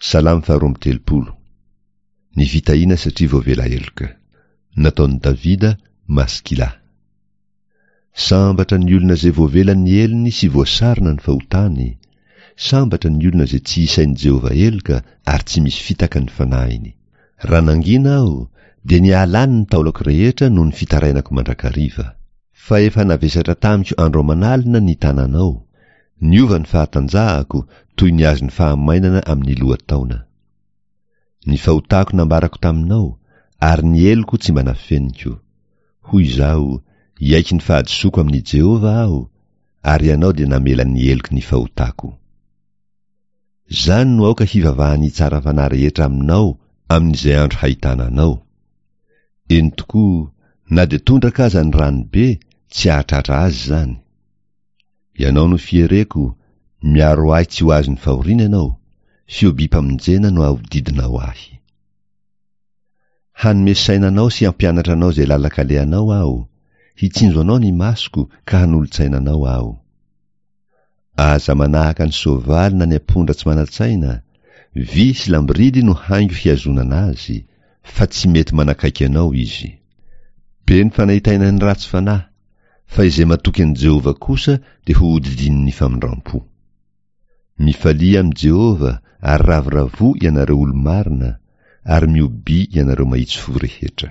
Salamo faharoa amby 30. Ny fitahiana satria voavela heloka. Nataon'i Davida, Maskila. Sambatra ny olona izay voavela ny helony sy voasarona ny fahotany. Sambatra ny olona izay tsy isain'i Jehovah heloka ary tsy misy fitaka ny fanahiny. Raha nangina aho, dia nialany ny taolako rehetra noho ny fitarainako mandrakariva. Fa efa navesatra tamiko andro aman'alina ny tananao, niova ny fahatanjahako toy ny azon'ny fahamainana amin'ny lohataona. Ny fahotako nambarako taminao, ary ny heloko tsy mba nafeniko. Hoy izaho, Hiaiky ny fahadisoako amin'i Jehovah aho, ary Ianao dia namela ny heloky ny fahotako. Izany no aoka hivavahan'ny tsara fanahy rehetra aminao amin'izay andro hahitana anao. Eny tokoa, na dia tondraka aza ny rano be, tsy hahatratra azy izany. Ianao no fiereko, miaro ahy tsy ho azon'ny fahoriana Ianao, fihobiam-pamonjena no ahodidinao ahy. Hanome saina anao sy hampianatra anao izay lalan-kalehanao aho, hitsinjo anao ny masoko ka hanolo-tsaina anao aho. Aza manahaka ny soavaly na ny ampondra tsy manan-tsaina, vy sy lamboridy no haingo hihazonana azy, fa tsy mety manakaiky anao izy. Be ny fanaintainan'ny ratsy fanahy, fa izay matoky an'i Jehovah kosa dia hohodidinin'ny famindram-po. Mifalia amin'i Jehovah ary ravoravoa ianareo olo-marina, ary mihobia ianareo mahitsy fo rehetra.